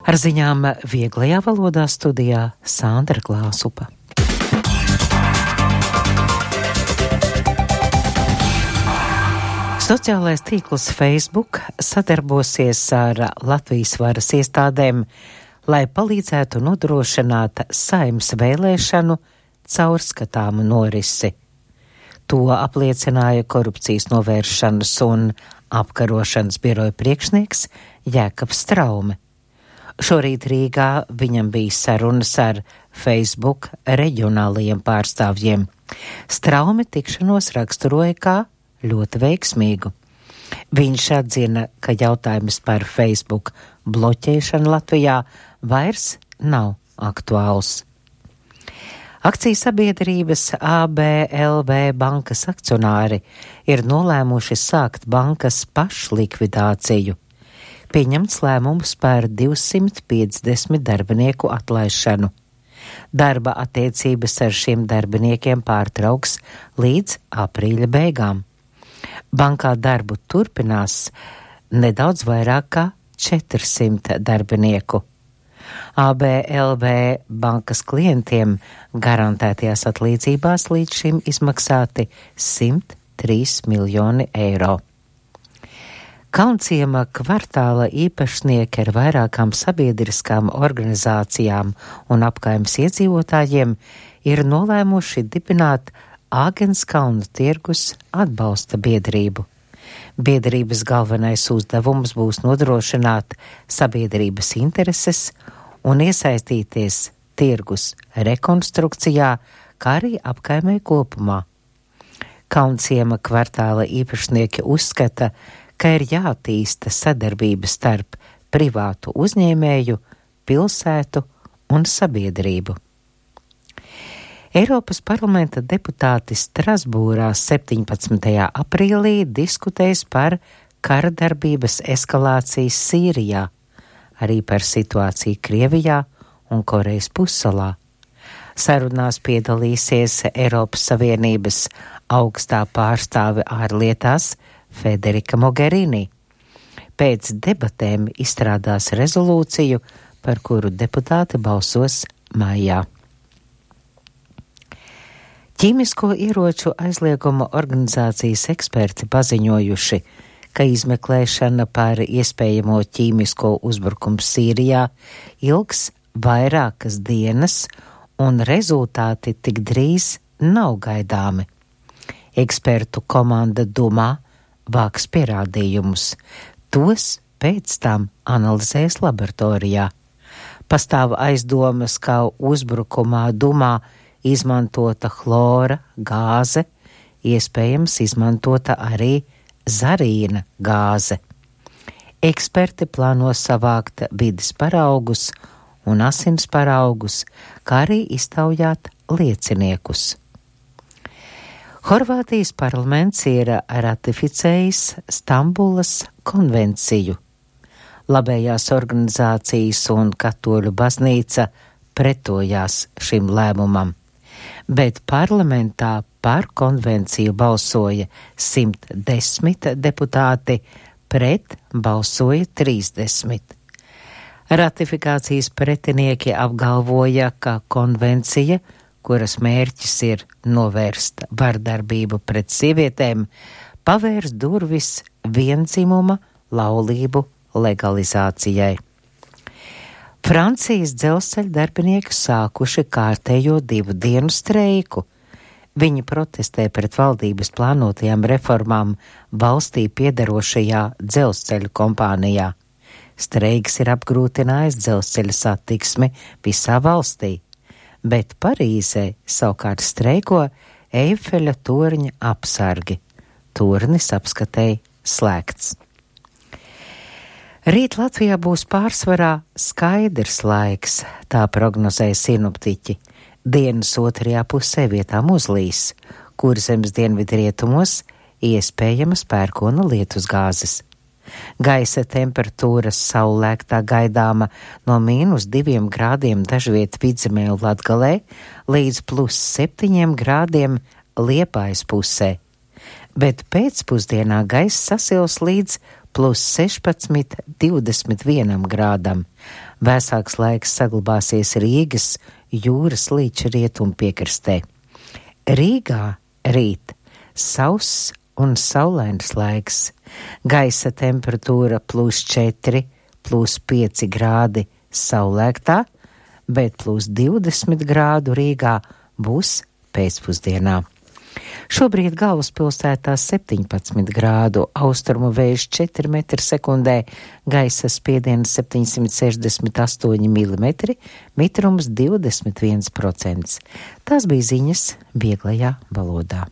Ar ziņām vieglajā valodā studijā Sandra Glāsupa. Sociālais tīkls Facebook sadarbosies ar Latvijas varas iestādēm, lai palīdzētu nodrošināt Saeimas vēlēšanu caurskatāmu norisi. To apliecināja korupcijas novēršanas un apkarošanas biroja priekšnieks Jēkabs Straume. Šorīt Rīgā viņam bija sarunas ar Facebook reģionālajiem pārstāvjiem. Straume tikšanos raksturoja kā ļoti veiksmīgu. Viņš atzina, ka jautājums par Facebook bloķēšanu Latvijā vairs nav aktuāls. Akciju sabiedrības ABLV bankas akcionāri ir nolēmuši sākt bankas pašlikvidāciju. Pieņemts lēmums par 250 darbinieku atlaišanu. Darba attiecības ar šiem darbiniekiem pārtrauks līdz aprīļa beigām. Bankā darbu turpinās nedaudz vairāk kā 400 darbinieku. ABLV bankas klientiem garantētajās atlīdzībās līdz šim izmaksāti 103 miljoni eiro. Kalnciema kvartāla īpašnieki ar vairākām sabiedriskām organizācijām un apkaimes iedzīvotājiem ir nolēmuši dibināt Āgenskalnu tirgus atbalsta biedrību. Biedrības galvenais uzdevums būs nodrošināt sabiedrības intereses un iesaistīties tirgus rekonstrukcijā, kā arī apkaimē kopumā. Kalnciema kvartāla īpašnieki uzskata, ka ir jātīsta sadarbība starp privātu uzņēmēju, pilsētu un sabiedrību. Eiropas parlamenta deputāti Strasbūrā 17. aprīlī diskutēs par kara darbības eskalācijas Sīrijā, arī par situāciju Krievijā un Korejas pussalā. Sarunās piedalīsies Eiropas Savienības augstā pārstāve ārlietās Federika Mogherini. Pēc debatēm izstrādās rezolūciju, par kuru deputāti balsos maijā. Ķīmisko ieroču aizlieguma organizācijas eksperti paziņojuši, ka izmeklēšana par iespējamo ķīmisko uzbrukumu Sīrijā ilgs vairākas dienas un rezultāti tik drīz nav gaidāmi. Ekspertu komanda domā, vāks pierādījumus. Tos pēc tam analizēs laboratorijā. Pastāv aizdomas, ka uzbrukumā Dumā izmantota chlora gāze, iespējams izmantota arī zarīna gāze. Eksperti plāno savākt vides paraugus un asins paraugus, kā arī iztaujāt lieciniekus. Horvātijas parlaments ir ratificējis Stambulas konvenciju. Labējās organizācijas un katoļu baznīca pretojās šim lēmumam, bet parlamentā par konvenciju balsoja 110 deputāti, pret balsoja 30. Ratifikācijas pretinieki apgalvoja, ka konvencija, kuras mērķis ir novērst vardarbību pret sievietēm, pavērs durvis viendzimuma laulību legalizācijai. Francijas dzelzceļa darbinieki sākuši kārtējo 2 dienu streiku. Viņi protestē pret valdības plānotajām reformām valstī piederošajā dzelzceļa kompānijā. Streiks ir apgrūtinājis dzelzceļa satiksmi visā valstī, bet Parīzē savukārt streiko Eifeļa torņa apsargi. Tornis apskatēji slēgts. Rīt Latvijā būs pārsvarā skaidrs laiks, tā prognozēja sinoptiķi. Dienas otrajā pusē vietām uzlīs, Kurzemes dienvidrietumos iespējamas pērkona lietusgāzes. Gaisa temperatūras saulēktā gaidāma no -2 grādiem dažviet Vidzemē un Latgalē līdz +7 grādiem Liepājas pusē, bet pēcpusdienā gaisa sasils līdz +16, 21 grādam. Vēsāks laiks saglabāsies Rīgas jūras līča rietumu piekrastē. Rīgā rīt sauss un saulains laiks, gaisa temperatūra +4, +5 grādi saulēktā, bet +20 grādu Rīgā būs pēcpusdienā. Šobrīd galvaspilsētā 17 grādu, austrumu vējš 4 m/sekundē, gaisa spiediens 768 mm, mitrums 21%. Tās bija ziņas vieglajā valodā.